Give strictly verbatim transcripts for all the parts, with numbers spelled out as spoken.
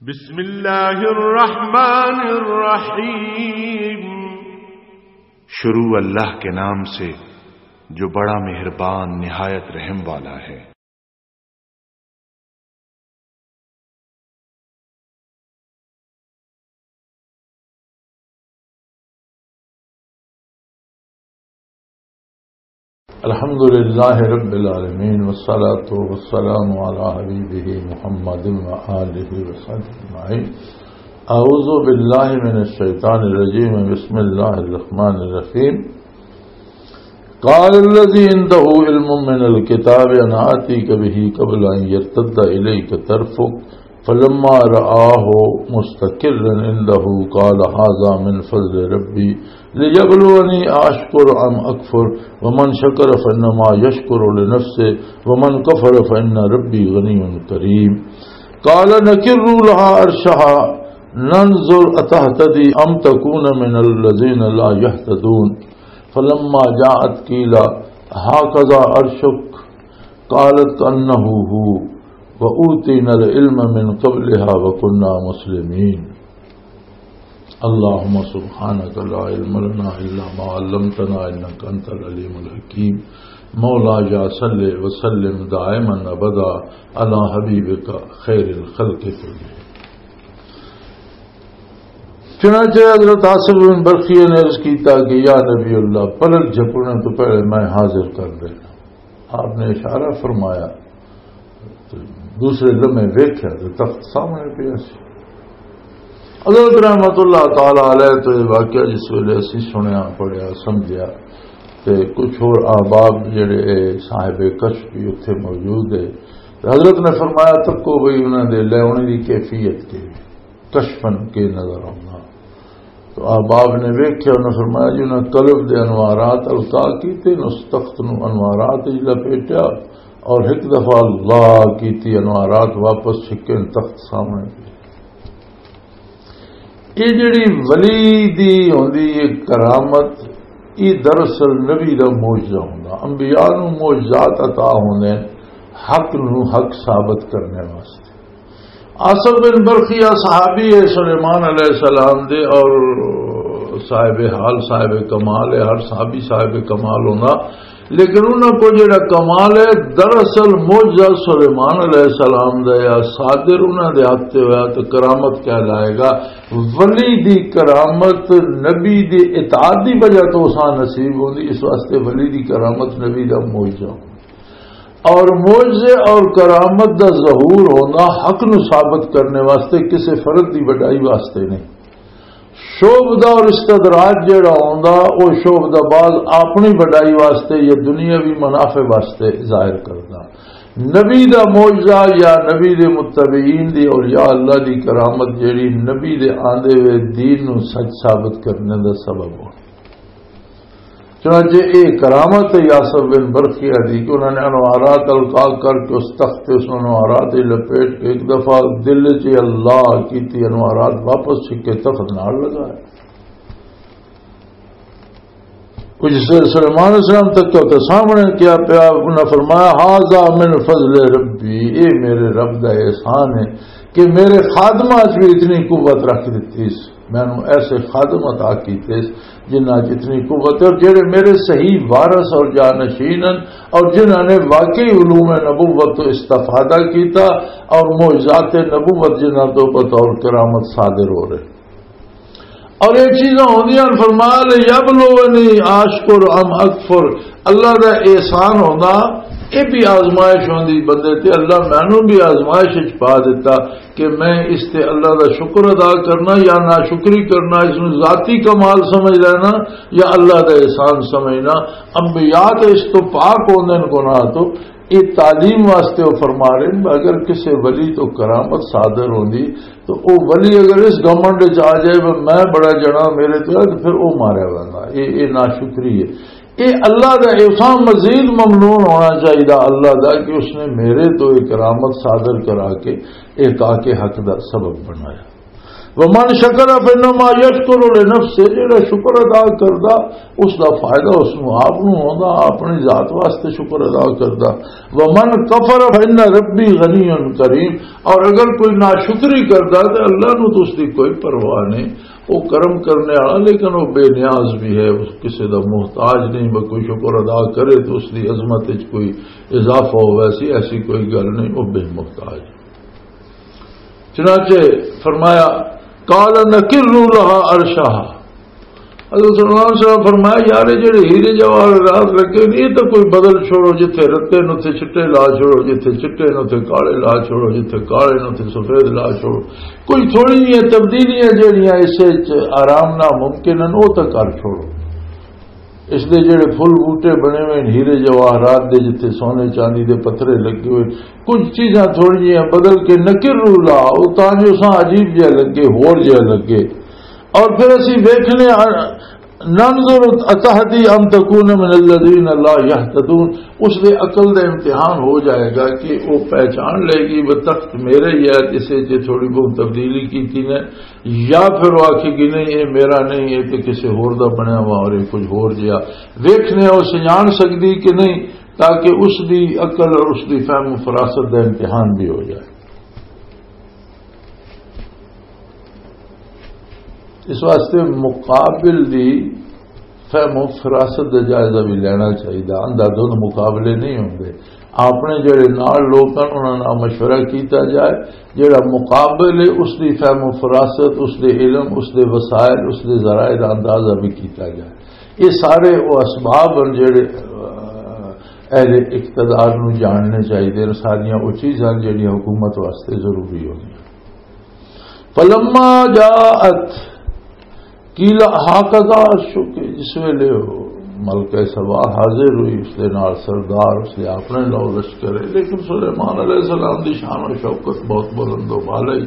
بسم اللہ الرحمن الرحیم۔ شروع اللہ کے نام سے، جو بڑا مہربان، نہایت رحم والا ہے۔ الحمد لله رب العالمين، والصلاة والسلام على حبيبه محمد وآله وصحبه أجمعين. أعوذ بالله من الشيطان الرجيم. بسم الله الرحمن الرحيم. قال الذي عنده علم من الكتاب أنا آتيك به قبل أن يرتد إليك طرفك فلما رآه مستقرا عنده قال هذا من فضل ربي ليبلوني أأشكر أم أكفر ومن شكر فإنما يشكر لنفسه ومن كفر فإن ربي غني كريم. قال نكروا لها عرشها ننظر أتهتدي أم تكون من الذين لا يهتدون. فلما جاءت قيل هكذا عرشك قالت كأنه هو وأوتينا العلم من قبلها وكنا مسلمين. اللهم سبحانك لا علم لنا إلا ما علمتنا إنك أنت العليم الحكيم. مولاي صل وسلم دائما أبدا على حبيبك خير الخلق كلهم. چنانچہ حضرت آصف بن برقیہ نے عرض کیتا کہ یا نبی اللہ، پلک جھپکنے تو پہلے میں حاضر کر دینا۔ آپ نے اشارہ فرمایا، تو دوسرے لمحے ویکھیا تو تخت سامنے پیا سی۔ حضرت رحمت اللہ تعالی علیہ تو یہ واقعہ جس ویلے اسی سنیا، پڑھیا، سمجھیا، تے کچھ اور احباب جڑے صاحب کشف بھی اتھے موجود ہے، تے حضرت نے فرمایا، "تکو بھئی انہاں دے لیونے دی کیفیت کے، کشفن کے نظر آؤنا۔" تو احباب نے ویکھیا، انہاں فرمایا، "جی انہاں قلب دے انوارات القا کیتے، اس تخت نو انوارات وچ لپیٹیا اور ایک دفعہ اللہ کیتی، انوارات واپس چھکے، تخت سامنے پیا۔" یہ جڑی ولی دی ہوندی ہے کرامت، یہ دراصل نبی دا معجزہ ہوندا۔ انبیاء نوں معجزات عطا ہوندے ہیں حق نوں حق ثابت کرنے واسطے۔ آصف بن برقیہ صحابی ہے سلیمان علیہ السلام دے، اور صاحب حال، صاحب کمال ہے، ہر صحابی صاحب کمال ہوندا۔ لیکن انہاں کو جڑا کمال ہے، دراصل معجزہ سلیمان علیہ السلام دا یا صادر انہاں دے ہاتھ تے ہویا تو کرامت کہلائے گا۔ ولی دی کرامت نبی دی اطاعت دی وجہ تو اساں نصیب ہوندی، اس واسطے ولی دی کرامت نبی دا معجزہ ہوندا۔ اور معجزے اور کرامت دا ظہور ہونا حق نو ثابت کرنے واسطے، کسے فرد دی وڈائی واسطے نہیں۔ شعبدہ اور استدراج جڑا ہوندا، او شعبدہ باز اپنی وڈائی واسطے یا دنیاوی منافع واسطے ظاہر کردا۔ نبی دا معجزہ یا نبی دے متبعین دی اولیاء اللہ دی کرامت جڑی نبی دے آندے ہوئے دین نو سچ ثابت کرنے دا سبب ہو۔ چنانچہ اے کرامت ہے یاسر بن برقیہ دی کہ انہوں نے انوارات القا کر کے اس تخت تے اس انوارات دی لپیٹ کے ایک دفعہ دل چ اللہ کیتی، انوارات واپس چھکے تخت نال لگایا۔ کچھ سر سلیمان علیہ السلام تک تو سامنے کیا پیا، انہاں فرمایا، "ھذا من فضل ربی"، اے میرے رب دا احسان ہے کہ میرے خادمہ چ بھی اتنی قوت رکھ دیتی اس، مینوں ایسے خادم عطا کیتے اس جنہاں چ اتنی قوت ہے، اور جڑے میرے صحیح وارث اور جانشین ہیں، اور جنہاں نے واقعی علوم نبوت تو استفادہ کیتا، اور معجزات نبوت جنہاں تو بطور کرامت صادر ہو رہے۔ اور یہ چیزاں ہوندیاں، فرمایا، "لیبلونی آشکر ام اکفر"، اللہ دا احسان ہوندا، یہ بھی آزمائش ہوندی بندے تے۔ اللہ مینوں بھی آزمائش وچ پا دیتا کہ میں اس تے اللہ دا شکر ادا کرنا یا ناشکری کرنا، اس نوں ذاتی کمال سمجھ لینا یا اللہ دا احسان سمجھنا۔ انبیاء تے اس تو پاک ہوندے نے گناہ تو۔ یہ تعلیم واسطے وہ فرما رہے ہیں، اگر کسی ولی تو کرامت صادر ہوندی تو او ولی اگر اس گھمنڈ وچ آ جائے، "میں بڑا جنا، میرے تو ہے"، تو پھر او ماریا ویندا۔ اے، اے ناشکری ہے۔ اے اللہ دا احسان مزید ممنون ہونا چاہیے اللہ دا کہ اس نے میرے تو ایک کرامت صادر کرا کے ایک آ کے حق دا سبب بنایا۔ ومن شکر فانما یشکر لنفسہ، جڑا شکر ادا کردا، اس دا فائدہ اس نوں آپ نوں ہوندا، اپنی ذات واسطے شکر ادا کردا۔ ومن کفر فان ربی غنی کریم، اور اگر کوئی ناشکری کردا تے اللہ نوں تو اس دی کوئی پرواہ نہیں، وہ کرم کرنے والا، لیکن وہ بے نیاز بھی ہے، اس کسے دا محتاج نہیں، وہ کوئی شکر ادا کرے تو اس دی عظمت وچ کوئی اضافہ ہو، ویسی ایسی کوئی گل نہیں، وہ بے محتاج۔ چنانچہ فرمایا، قال نکروا لها عرشها۔ حضرت سلمان صاحب فرمایا، یار، یہ جڑے ہیرے جواہرات رکھے نے، یہ تو کوئی بدل چھوڑو، جتھے رتے نے اتھے چٹے لا چھوڑو، جتھے چٹے نے اتھے کالے لا چھوڑو، جتھے کالے نے اتھے سفید لا چھوڑو۔ کوئی تھوڑی جہاں تبدیلیاں جڑیاں اس وچ آرام نہ ممکن ہیں، وہ تو کر چھوڑو۔ اس دے جڑے پھل بوٹے بنے ہوئے نے، ہیرے جواہرات دے، جتھے سونے چاندی دے پتھرے لگے ہوئے، کچھ چیزاں تھوڑی جہاں بدل کے نکروا لها، وہ تاں جو ساں عجیب جہا لگے، ہور جہا لگے۔ اور پھر اسی ویکھنے آ، ننظر اتهتدي ام تكون من الذين لا يهتدون، اس دے عقل دا امتحان ہو جائے گا کہ وہ پہچان لے گی وہ تخت میرے ہی ہے، جسے جے تھوڑی بہت تبدیلی کی تھی نے، یا پھر وہ آکھے گی، نہیں، یہ میرا نہیں، یہ تو کسی ہور دا بنیا ہوا اور یہ کچھ ہور جیا۔ ویکھنے او سنجان سکدی کہ نہیں، تاکہ اس دی عقل اور اس دی فہم و فراست دا امتحان بھی ہو جائے۔ اس واسطے مقابل دی فہم و فراست دا جائزہ بھی لینا چاہیے۔ اندھا دھند مقابلے نہیں ہوندے۔ اپنے جڑے نال لوگ ہن، انہاں نال مشورہ کیتا جائے۔ جڑا مقابل ہے، اس دی فہم و فراست، اس دے علم، اس دے وسائل، اس دے ذرائع دا اندازہ بھی کیتا جائے۔ یہ سارے وہ اسباب ہن جڑے، آ، اہل اقتدار نوں جاننے چاہیے، ساریاں وہ چیزاں جڑیاں حکومت واسطے ضروری ہوندیاں۔ فلما جاءت قیل هكذا عرشك، جس ویلے وہ ملکہ سبا حاضر ہوئی، اس دے نال سردار، اس دے اپنے لو لشکر ہے، لیکن سلیمان علیہ السلام دی شان و شوکت بہت بلند و بالا ہی۔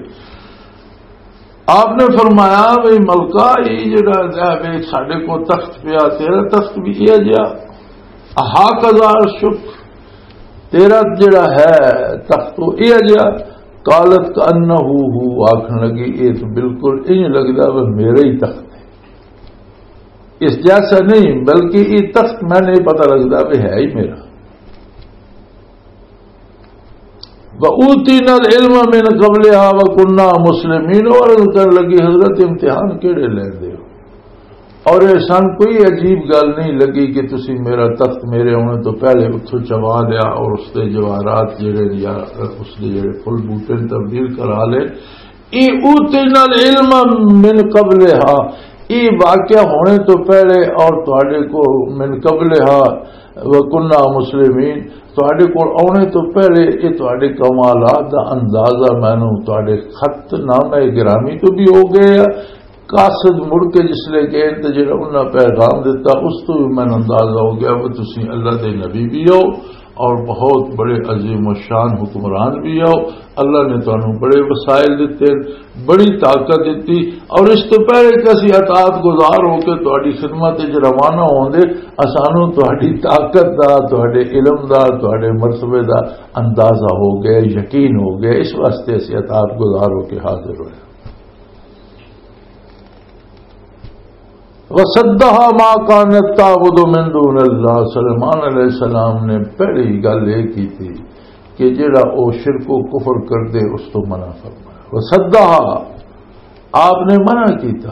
آپ نے فرمایا، "بھئی ملکہ، یہ جڑا ہے، ویکھ، ساڈے کو تخت پیا، تیرا تخت بھی یہ جیا، هكذا عرشك، تیرا جڑا ہے تخت، وہ یہ جیا۔" قالت كأنه هو، آکھن لگی، "یہ تو بالکل انج لگدا وہ میرا ہی تخت ہے، اس جیسا نہیں، بلکہ یہ تخت میں نہیں پتہ لگدا وہ ہے ہی میرا۔" وَأُوتِينَا الْعِلْمَ مِنْ قَبْلِهَا وَكُنَّا مُسْلِمِينَ، اور کرن لگی، "حضرت، امتحان کیڑے لیندے ہو؟ اور یہ سن کوئی عجیب گل نہیں لگی کہ تسی میرا تخت میرے ہونے تو پہلے اتھوں چوا لیا اور اس دے جواہرات جڑے یا اس دے جڑے پھل بوٹے نے تبدیل کرا لے۔ یہ اوتینا العلم من قبلہا، یہ واقعہ ہونے تو پہلے اور تواڈے کو من قبلہا وکنا مسلمین، تواڈے کول آنے تو پہلے یہ تواڈے کمالات دا اندازہ مینوں تواڈے خط نامہ گرامی تو بھی ہو گئے ہے۔" قاصد مڑ کے جس لے گئے تے جڑا انہاں پیغام دتا، اس تو بھی مینوں اندازہ ہو گیا کہ تسی اللہ دے نبی بھی ہو اور بہت بڑے عظیم و شان حکمران بھی ہو۔ اللہ نے تانوں بڑے وسائل دتے، بڑی طاقت دتی، اور اس تو پہلے کہ اسی اطاعت گزار ہو کے تہاڈی خدمت وچ روانہ ہوندے، اسانوں تہاڈی طاقت دا، تہاڈے علم دا، تہاڈے مرتبے دا اندازہ ہو گیا، یقین ہو گیا، اس واسطے اسی اطاعت گزار ہو کے حاضر ہوئے۔ وصدها ما كانت تعبد من دون الله، سلیمان علیہ السلام نے پہلی گل یہ کی تھی کہ جڑا او شرک و کفر کر دے، اس تو منع فرمایا۔ وصدها، آپ نے منع کیتا۔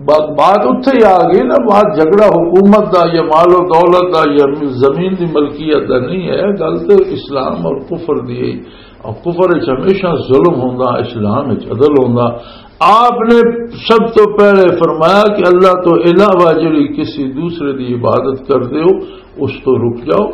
بات، بات اتھے ہی آ گئی نا، بات جھگڑا حکومت دا یا مال و دولت دا یا زمین دی ملکیت دا نہیں ہے، گل تے اسلام اور کفر دی ہے۔ اور کفر وچ ہمیشہ ظلم ہوندا، اسلام وچ عدل ہوندا۔ آپ نے سب تو پہلے فرمایا کہ اللہ تو علاوہ جڑی کسی دوسرے دی عبادت کر دے ہو، اس تو رک جاؤ۔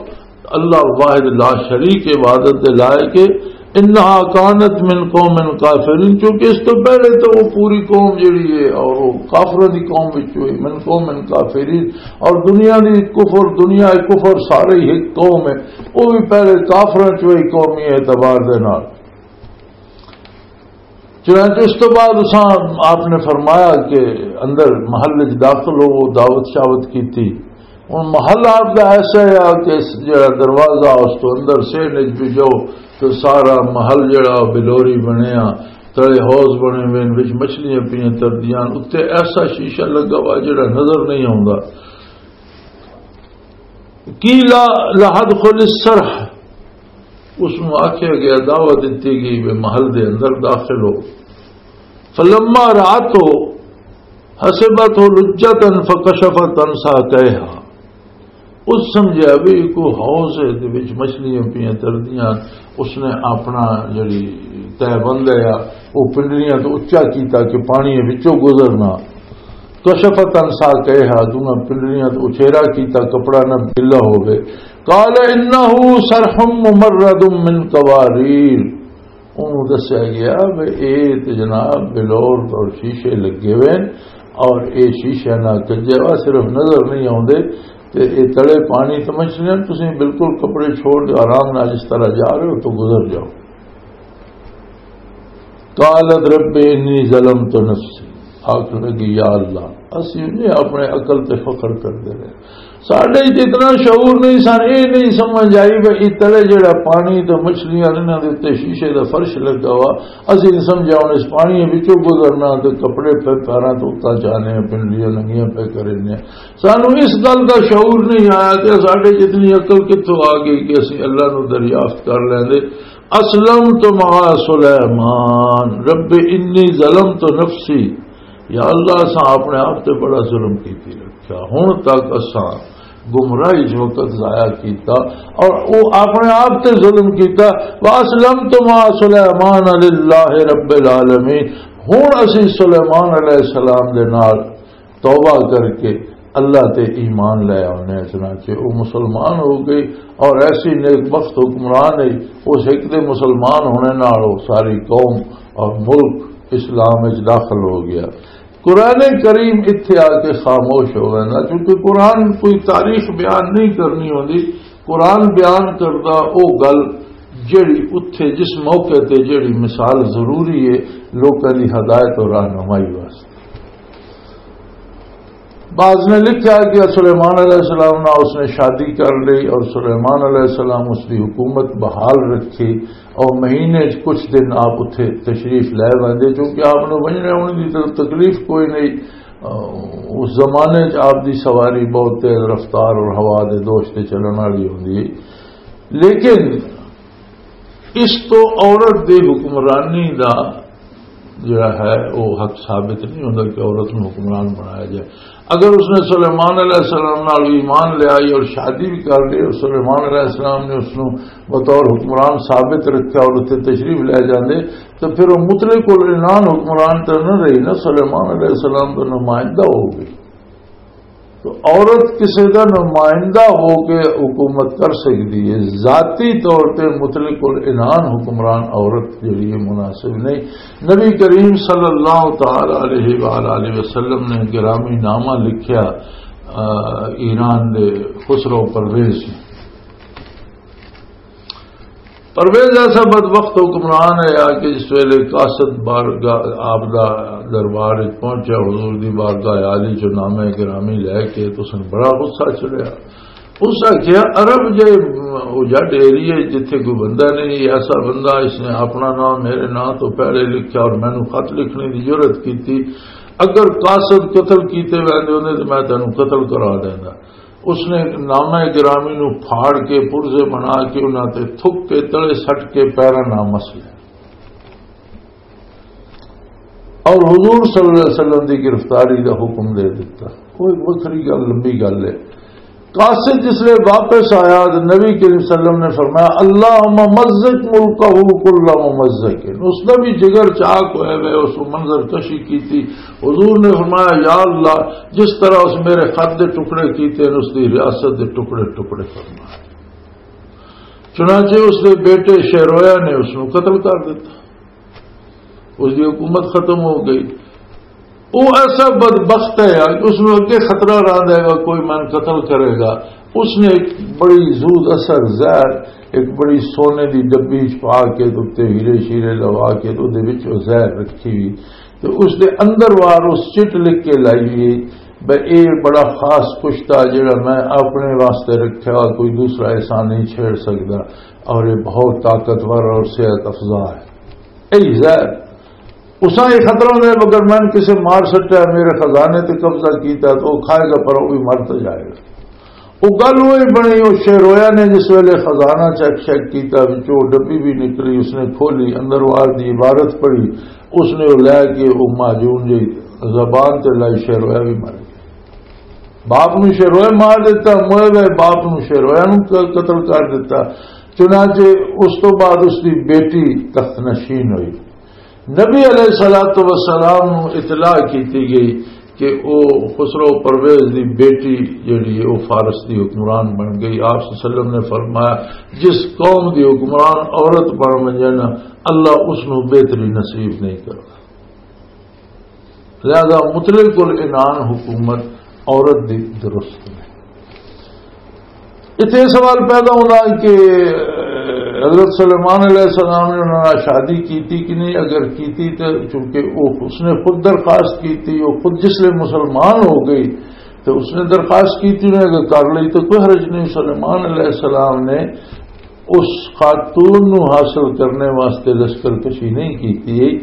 اللہ واحد لا شریک عبادت دے لائق ہے۔ انہا کانت من قوم کافرین، چونکہ اس تو پہلے تو وہ پوری قوم جڑی ہے اور وہ کافروں دی قوم وچ ہوئی، من قوم کافرین، اور دنیا دی کفر، دنیا کفر سارے ہی ایک قوم ہے، وہ بھی پہلے کافروں چ ہوئی قومی اعتبار دے نال۔ چنانچہ اس تو بعد اساں، آپ نے فرمایا کہ اندر محل وچ داخل ہو، دعوت شاوت کیتی۔ ہن محل آپ دا ایسا ہے کہ اس جڑا دروازہ اس تو اندر سے نج بھی جاؤ تو سارا محل جڑا بلوری بنیا، تلے حوض بنے ہوئے، وچ مچھلیاں پیاں تردیاں، اتنے ایسا شیشہ لگا ہوا جڑا نظر نہیں آتا۔ قیل لا تدخل الصرح، اس نو آکھیا گیا، دعوت دتی گئی، وہ محل دے اندر داخل ہو۔ فلما رأته حسبته لجة فكشفت عن ساقيها۔ اس سمجھیا بھی کوئی حوض ہے، دے وچ مچھلیاں پیاں تردیاں، اس نے اپنا جڑی تہبند ہے، وہ پنڈلیاں تو اچا کیتا کہ پانی وچوں گزرنا۔ کشفت عن ساقیہا، دونوں پنڈلیاں تو اچھیرا کیتا، کپڑا نہ گلا ہووے۔ قال انہ صرح ممرد من قواریر۔ انہوں دسیا گیا بھی اے تے جناب بلور اور شیشے لگے ہوئے ہیں، اور اے شیشے نہ کجے وا صرف نظر نہیں آوندے، تے اے تلے پانی سمجھنے ہیں، تسی بالکل کپڑے چھوڑ کے آرام نال جس طرح جا رہے ہو تو گزر جاؤ۔ قالت رب انی ظلمت نفسی، آخر لگی، یا اللہ، اسی نے اپنے عقل تے فخر کردے رہے، ساڈے وچ اتنا شعور نہیں سن، اے نہیں سمجھ آئی بھی اتنے جڑا پانی تے مچھلیاں، انہاں دے تے شیشے دا فرش لگا ہوا، اسی نہیں سمجھا ہن اس پانی وچوں گزرنا تے کپڑے پہ پیراں تو اتنا چاہنے ہیں، پنڈلیاں ننگیاں پہ کرنے ہیں۔ سانو اس گل دا شعور نہیں آیا کہ ساڈے وچ اتنی عقل کتھوں آ گئی کہ اسی اللہ نو دریافت کر لیندے۔ اسلمت مع سلیمان رب انی ظلمت نفسی، یا اللہ، اساں اپنے آپ تے بڑا ظلم کیتی رکھیا۔ ہن تک اساں گمراہی چ وقت ضائع کیتا، اور او اپنے آپ تے ظلم کیتا۔ واسلمت مع سلیمان للہ رب العالمین۔ ہن اسی سلیمان علیہ السلام دے نال توبہ کر کے اللہ تے ایمان لے آنے، چنانچہ وہ مسلمان ہو گئی اور ایسی نیک بخت حکمران ہے، اس ایک دے مسلمان ہونے نال وہ ساری قوم اور ملک اسلام وچ داخل ہو گیا۔ قرآن کریم اتھے آ کے خاموش ہو گیا، کیونکہ قرآن کوئی تاریخ بیان نہیں کرنی ہوندی، قرآن بیان کردا او گل جڑی اتھے جس موقع تے جڑی مثال ضروری ہے لوکاں دی ہدایت اور رہنمائی واسطے۔ بعض نے لکھا کہ سلیمان علیہ السلام نال اس نے شادی کر لی اور سلیمان علیہ السلام اس دی حکومت بحال رکھی اور مہینے چ کچھ دن آپ اتھے تشریف لے ویندے، چونکہ آپ نوں ونجنے آنے دی ت-، تکلیف کوئی نہیں۔ آ، اس زمانے چ آپ دی سواری بہت تیز رفتار اور ہوا دے دوش تے چلن والی ہوندی ہے۔ لیکن اس تو عورت دی حکمرانی دا جڑا ہے، وہ حق ثابت نہیں ہوندا کہ عورت نوں حکمران بنایا جائے۔ اگر اس نے سلیمان علیہ السلام نال ایمان لے آئی اور شادی بھی کر لی اور سلیمان علیہ السلام نے اس نوں بطور حکمران ثابت رکھا اور اتنے تشریف لے جاندے، تو پھر وہ مطلق العنان حکمران تو نہ رہی نا، سلیمان علیہ السلام کا نمائندہ ہو گئی۔ تو عورت کسی کا نمائندہ ہو کے حکومت کر سکتی ہے، ذاتی طور پہ مطلق العنان حکمران عورت کے لیے مناسب نہیں۔ نبی کریم صلی اللہ تعالی علیہ وآلہ وسلم نے گرامی نامہ لکھیا، آ، ایران دے خسرو پرویز نے۔ پرویز ایسا بدبخت حکمران ہے آ کہ جس ویلے قاصد بارگاہ آپ دا دربار وچ پہنچیا، حضور دی بارگاہ عالی چوں نامہ گرامی لے کے تو اس نے بڑا غصہ چڑھیا۔ اس آکھیا، عرب جے اجڑ ایریے جتھے کوئی بندہ نہیں، ایسا بندہ اس نے اپنا نام میرے نام تو پہلے لکھیا اور مینوں خط لکھنے دی جرأت کیتی، اگر قاصد قتل کیتے ویندے ہوندے تو میں تینوں قتل کرا دیندا۔ اس نے نامہ گرامی نو پھاڑ کے، پرزے بنا کے، انہاں تے تھک کے، تلے سٹ کے، پیراں نال مس لیا۔ اور حضور صلی اللہ علیہ وسلم دی گرفتاری دا حکم دے دیتا۔ کوئی وکھری گل، لمبی گل ہے۔ قاصد جس لے واپس آیا تو نبی کریم صلی اللہ علیہ وسلم نے فرمایا، "اللہم مزق ملکہ کل ممزق۔" اس دا بھی جگر چاک ہوئے ہوئے، اس کو منظر کشی کی تھی۔ حضور نے فرمایا، "یا اللہ، جس طرح اس میرے خط دے ٹکڑے کیتے ہیں، اس دی ریاست دے ٹکڑے ٹکڑے فرما۔" چنانچہ اس دے بیٹے شہرویا نے اس نو قتل کر دیتا، اس دی حکومت ختم ہو گئی۔ وہ ایسا بدبخت ہے یار، اس نو اگے خطرہ رہندا ہے گا، کوئی من قتل کرے گا۔ اس نے ایک بڑی زود اثر زہر، ایک بڑی سونے دی ڈبی چ پا کے، تے ہیرے شیرے لوا کے، تے دے وچ وہ زہر رکھی ہوئی، تے اس دے اندر وار اس چٹ لکھ کے لائی ہوئی، بے اے بڑا خاص پشتہ جڑا میں اپنے واسطے رکھیا، کوئی دوسرا ایسا نہیں چھیڑ سکدا، اور یہ بہت طاقتور اور صحت افزا ہے۔ اے زہر اساں یہ خطرہ ہوندے، مگر میں کسے مار سٹیا، میرے خزانے تے قبضہ کیتا، تو وہ کھائے گا، پر وہ بھی مر تو جائے گا۔ وہ گل وہی بنی، وہ شیرویا نے جس ویلے خزانہ چیک شیک کیتا، وچوں ڈبی بھی نکلی، اس نے کھولی، اندر وار دی عبارت پڑھی، اس نے وہ لے کے وہ معجون جی زبان تے لائی، شیرویا بھی مر گیا۔ باپ نو شیرویا مار دیتا، موئے گئے باپ نو شیرویا نو ق-، قتل کر دیتا۔ چنانچہ اس تو بعد اس دی بیٹی تخت نشین ہوئی۔ نبی علیہ الصلوۃ والسلام نو اطلاع کیتی گئی کہ او خسرو پرویز دی بیٹی جڑی ہے، او فارس دی حکمران بن گئی۔ آپ صلی اللہ علیہ وسلم نے فرمایا، جس قوم دی حکمران عورت بن ونجے نا، اللہ اس نو بہتری نصیب نہیں کردا۔ لہذا مطلق العنان حکومت عورت دی درست نہیں۔ اتنے سوال پیدا ہونا کہ حضرت سلیمان علیہ السلام نے انہوں نے شادی کیتی کہ نہیں؟ اگر کیتی تو چونکہ وہ، اس نے خود درخواست کیتی، وہ خود جس لئے مسلمان ہو گئی تو اس نے درخواست کیتی، انہیں اگر کر لی تو کوئی حرج نہیں۔ سلیمان علیہ السلام نے اس خاتون نو حاصل کرنے واسطے لشکر کشی نہیں کیتی۔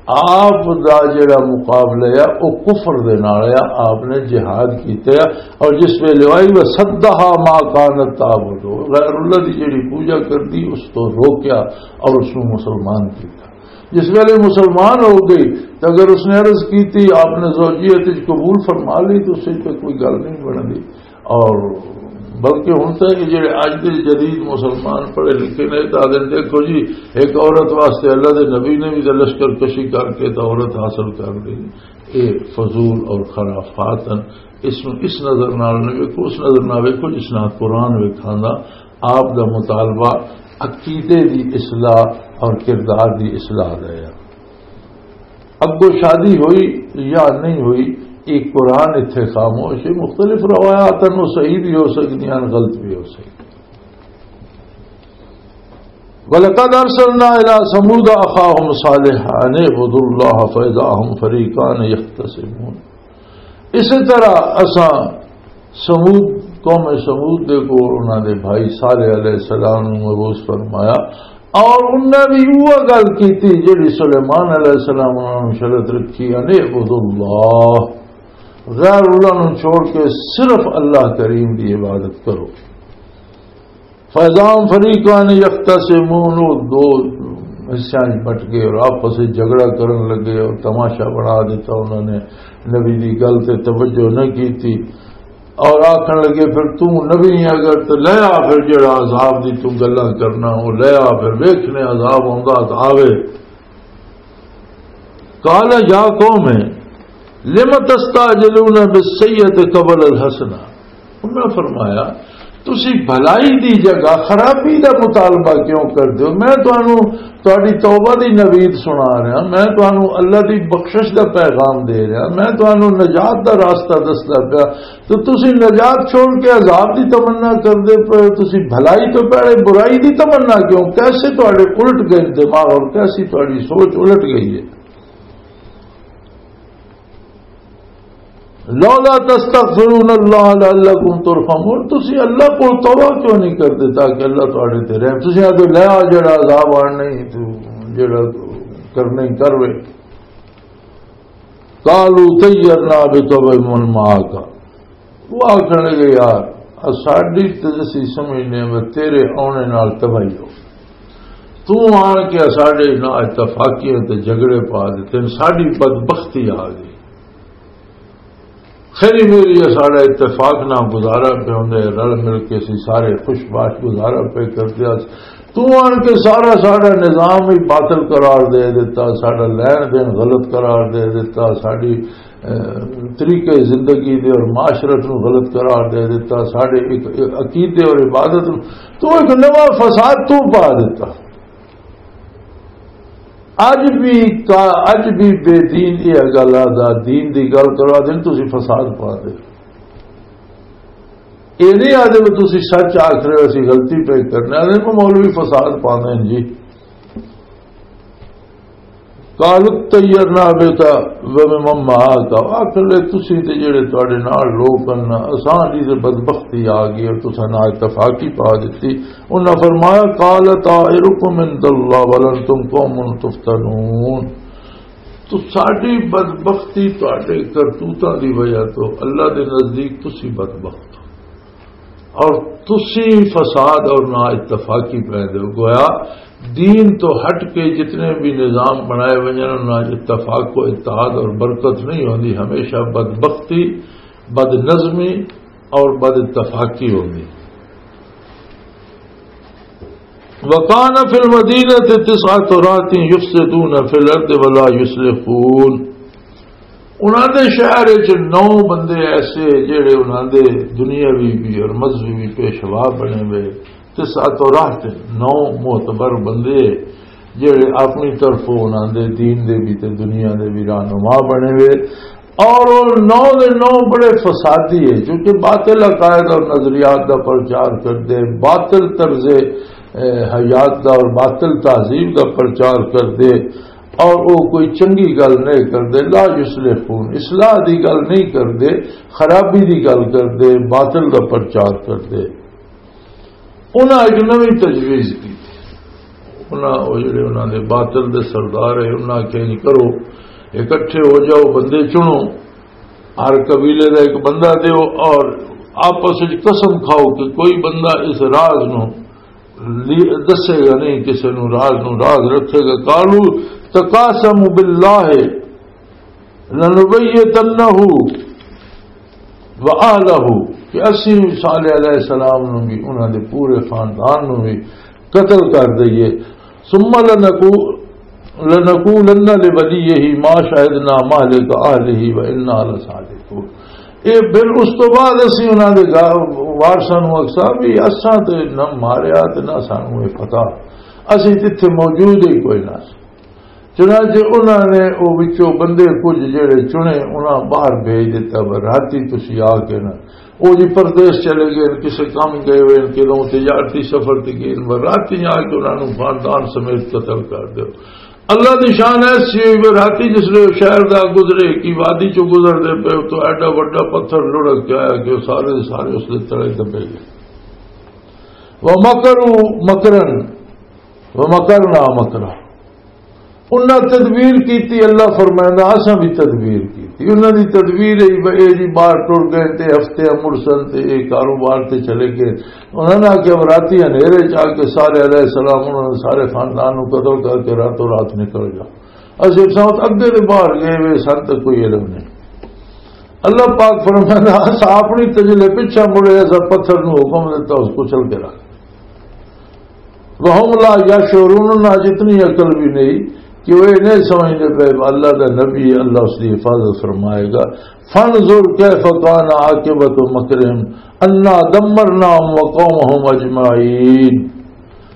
آپ دا جڑا مقابلہ ہے، او کفر دے نال ہے۔ آپ نے جہاد کیتا ہے، اور جس ویلے آئی، "وصدها ما كانت تعبد"، غیر اللہ دی جڑی پوجا کردی، اس تو روکیا اور اس نو مسلمان کیتا۔ جس ویلے مسلمان ہو گئی، تو اگر اس نے عرض کی تھی، آپ نے زوجیت وچ قبول فرما لی، تو اس سے کوئی گل نہیں بن گئی۔ اور بلکہ ہن تے یہ جڑے اج دے جدید مسلمان پڑھے لکھے نے، تو آدھے نے، "دیکھو جی، ایک عورت واسطے اللہ دے نبی نے بھی تے لشکر کشی کر کے تو عورت حاصل کر لی۔" یہ فضول اور خرافات ہیں۔ اس نو اس نظر نال نہ ویکھو، اس نظر نال ویکھو جس نال قرآن ویکھاں دا۔ آپ دا مطالبہ عقیدے دی اصلاح اور کردار دی اصلاح دا ہے۔ اگوں شادی ہوئی یا نہیں ہوئی، یہ قرآن اتھے خاموش ہے۔ مختلف روایات ہیں، وہ صحیح بھی ہو سکتی ہیں، غلط بھی ہو سکتی۔ وَلَقَدْ أَرْسَلْنَا إِلَىٰ ثَمُودَ أَخَاهُمْ صَالِحًا أَنِ اعْبُدُوا اللَّهَ فَإِذَا هُمْ فَرِيقَانِ يَخْتَصِمُونَ۔ اسی طرح اساں سمود، قوم سمود دے کول انہاں دے بھائی صالح علیہ السلام نوں مبعوث فرمایا، اور انہاں بھی وہ گل کیتی جڑی سلیمان علیہ السلام انہاں نوں شرط رکھی، "ان اعبدوا اللہ"، غیر اللہ نوں چھوڑ کے صرف اللہ کریم دی عبادت کرو۔ فَإِذَا هُمْ فَرِيقَانِ يَخْتَصِمُونَ، وہ دو حصیاں وچ بٹ گئے اور آپس وچ جھگڑا کرن لگے اور تماشا بنا دیتا۔ انہوں نے نبی دی گل تے توجہ نہ کیتی اور آکھن لگے، "پھر توں نبی ہے، اگر تے لے آ، پھر جڑا عذاب دی توں گلاں کرنا، وہ لے آ، پھر ویکھنے عذاب آوندا تے آوے۔" قال یا قوم لم تستعجلون بالسیئۃ قبل الحسنہ۔ انہاں فرمایا، "تسی بھلائی دی جگہ خرابی دا مطالبہ کیوں کر دیو؟ میں تانوں تہاڈی توبہ دی نوید سنا رہا، میں تانوں اللہ دی بخشش دا پیغام دے رہا، میں تانوں نجات دا راستہ دسدا پیا، تو تسی نجات چھوڑ کے عذاب دی تمنا کردے پے، تسی بھلائی تو پہلے برائی دی تمنا کیوں؟" کیسے تہاڈے الٹ گئے دماغ اور کیسی تہاڈی سوچ الٹ گئی ہے۔ لولا تستغفرون اللہ لعلکم ترحمون، تسی اللہ کو توبہ کیوں نہیں کردے تاکہ اللہ تہاڈے تے رحم؟ تسی آدھے، "لے آ، جڑا عذاب آن نہیں، تو جڑا کرنا ہی کروے۔" قالوا طیرنا بک وبمن معک۔ وہ آکھن لگے، "یار، ساڈی تے اسی سمجھنے میں تیرے آنے نال تباہی ہو۔ تو آن کے ساڈے نہ اتفاقیاں تے جھگڑے پا دیتے ہیں، ساڈی بدبختی آ گئی۔ خیری میری ہے، ساڈا اتفاق نہ گزارا پہ ہوندے، رل مل کے اسی سارے خوش باش گزارا پہ کرتے ہیں۔ تو آن کے سارا ساڈا نظام ہی باطل قرار دے دیتا، ساڈا لین دین غلط قرار دے دیتا، ساڈی، اے، طریقے زندگی دے اور معاشرت نو غلط قرار دے دیتا، ساڈے ایک، ایک عقیدے اور عبادت نو تو ایک نواں فساد تو پا دیتا۔" اج بھی کا-، اج بھی بے دین یہ گل آ دا، دین دی گل کروا دین، تسی فساد پا دے۔ یہ نہیں آدھے بھی تسی سچ آخ رہے ہو، اسی غلطی پہ کرنے آدھے کو مولوی فساد پاندے ہیں جی۔ قالوا طیرنا بک وبمن معک، آخر لے تسی تے جڑے تواڈے نال لوگ ہن، اساں دی تے بدبختی آ گئی اور تساں نال اتفاقی پا دتی۔ انہاں فرمایا، "قال طائرکم عند اللہ بل انتم قوم تفتنون۔" تو ساڈی بدبختی تہاڈے کرتوتاں دی وجہ تو اللہ دے نزدیک تسی بدبخت ہو، اور تسی فساد اور نا اتفاقی پیدا ہو۔ گویا دین تو ہٹ کے جتنے بھی نظام بنائے ونجن، انہاں وچ اتفاق و اتحاد اور برکت نہیں ہوندی، ہمیشہ بدبختی، بد نظمی اور بد اتفاقی ہوندی۔ وَكَانَ فِي الْمَدِينَةِ تِسْعَةُ رَهْطٍ يُفْسِدُونَ فِي الْأَرْضِ وَلَا يُصْلِحُونَ۔ انہاں دے شہر وچ نو بندے ایسے جڑے انہاں دے دنیاوی بھی اور مذہبی بھی پیشوا بنے ہوئے، تسعۃ رہط، نو معتبر بندے جڑے اپنی طرفوں انہاں دے دین دے بھی تے دنیا دے بھی رہنما بنے ہوئے، اور وہ نو دے نو بڑے فسادی ہے، کیونکہ باطل عقائد اور نظریات دا پرچار کر دے، باطل طرز، اے، حیات دا اور باطل تہذیب دا پرچار کر دے، اور وہ کوئی چنگی گل نہیں کر دے، لا یصلحون، اصلاح دی گل نہیں کر دے، خرابی دی گل کر دے، باطل دا پرچار کر دے۔ انہاں ایک نویں تجویز کی۔ انہاں، وہ جڑے انہاں دے باطل دے سردار ہے، انہاں آکھیا، "جی کرو، اکٹھے ہو جاؤ، بندے چنو، ہر قبیلے دا ایک بندہ دیو اور آپس وچ قسم کھاؤ کہ کوئی بندہ اس راز نو لی-، دسے گا نہیں، کسے نو راز نو راز رکھے گا۔" قالوا تقاسموا باللہ لنبیتنہ و اہلہ، کہ اسی صالح علیہ السلام نو بھی، انہاں دے پورے خاندان نو بھی قتل کر دئیے۔ ثم لنقو-، لنقولن لولیہ ما شہدنا مہلک اہلہ و انا لصادقون۔ اے پھر اس تو بعد اسی انہاں دے گا-، وارثاں نو آکھساں بھی اساں تے نہ ماریا تے نہ سانو اے پتہ، اسی تے اتھے موجود ہی کوئی نہ سی۔ چنانچہ انہاں نے او وچوں بندے کچھ جڑے چنے، انہاں باہر بھیج دتا، پر راتی تسی آ کے نہ، او جی پردیس چلے گئے، کسے کم گئے ہوئے، کدوں تجارتی سفر تے گئے، پر راتی آ کے انہاں نوں خاندان سمیت قتل کر دیو۔ اللہ دی شان ایسی ہوئی، پر راتی جس لے شہر دا گزرے، کی وادی چوں گزر دے پے، تو ایڈا وڈا پتھر لڑک کے آیا کہ وہ سارے دے سارے اس دے تلے دبے گئے۔ وَمَكَرُوا مَكْرًا وَمَكَرْنَا مَكْرًا۔ انہاں تدبیر کیتی، اللہ فرمائندا، اساں بھی تدبیر کیتی۔ انہاں دی تدبیر ہے، بھئی اے جی باہر ٹر گئے تے ہفتے مرسن تے اے کاروبار تے چلے گئے۔ انہاں نے آکھیا، "راتی ہنیرے چ آ کے سارے علیہ السلام، انہاں نے سارے خاندان نو قتل کر کے راتوں رات نکل جا۔" اساں سمجھ اگے دے باہر گئے وے، سن تے کوئی علم نہیں۔ اللہ پاک فرمائندا، اساں اپنی تجلے پچھا مڑے، اساں پتھر نو حکم دیتا، اس کچل کے رکھ۔ وَهُمْ لَا يَشْعُرُونَ، انہاں جتنی عقل بھی نہیں کہ وہ یہ نہیں سمجھتے پے اللہ دا نبی ہے، اللہ اس دی حفاظت فرمائے گا۔ فَانْظُرْ كَيْفَ كَانَ عَاقِبَةُ مَكْرِهِمْ أَنَّا دَمَّرْنَاهُمْ وَقَوْمَهُمْ أَجْمَعِينَ۔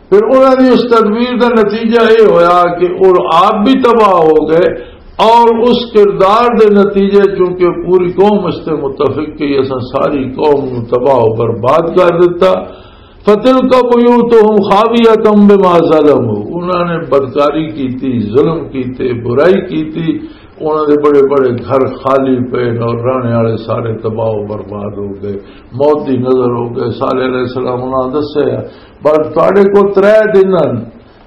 پھر انہاں دی اس تدبیر دا نتیجہ یہ ہویا کہ وہ آپ بھی تباہ ہو گئے، اور اس کردار دے نتیجے چونکہ پوری قوم اس تے متفق کہ اساں ساری قوم نو تباہ و برباد کر دیتا۔ فَتِلْكَ بُيُوتُهُمْ خَاوِيَةً بِمَا ظَلَمُوا، انہاں نے بدکاری کیتی، ظلم کیتے، برائی کیتی، انہاں دے بڑے بڑے گھر خالی پے اور رہنے والے سارے تباہ و برباد ہو گئے، موت دی نظر ہو گئے۔ صالح علیہ السلام انہاں دسیا، "پر تواڈے کو ترے دن ہن،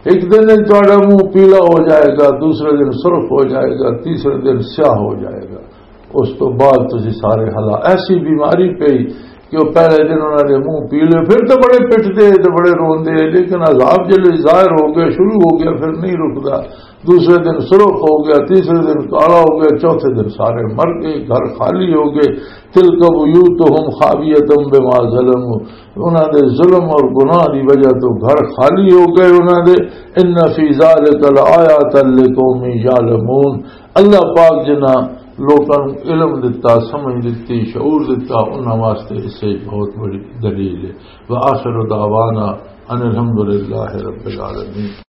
ایک دن تواڈا منہ پیلا ہو جائے گا، دوسرے دن سرخ ہو جائے گا، تیسرے دن سیاہ ہو جائے گا۔" اس تو بعد تسی سارے ہلا-، ایسی بیماری پئی کہ وہ پہلے دن انہاں دے منہ پیلے، پھر تو بڑے پٹدے تے بڑے روندے، لیکن عذاب جلے ظاہر ہو گیا، شروع ہو گیا، پھر نہیں رکدا۔ دوسرے دن سرخ ہو گیا، تیسرے دن کالا ہو گیا، چوتھے دن سارے مر گئے، گھر خالی ہو گئے۔ تِلْكَ بُيُوتُهُمْ خَاوِيَةً بِمَا ظَلَمُوا، انہاں دے ظلم اور گناہ دی وجہ تو گھر خالی ہو گئے انہاں دے۔ إِنَّ فِي ذَلِكَ لَآيَاتًا لِقَوْمٍ يَعْلَمُونَ، اللہ پاک جنہاں لوکاں نوں علم دتا، سمجھ دتی، شعور دتا، انہاں واسطے اس وچ بہت بڑی دلیل ہے۔ وآخر دعوانا ان الحمد للہ رب العالمین۔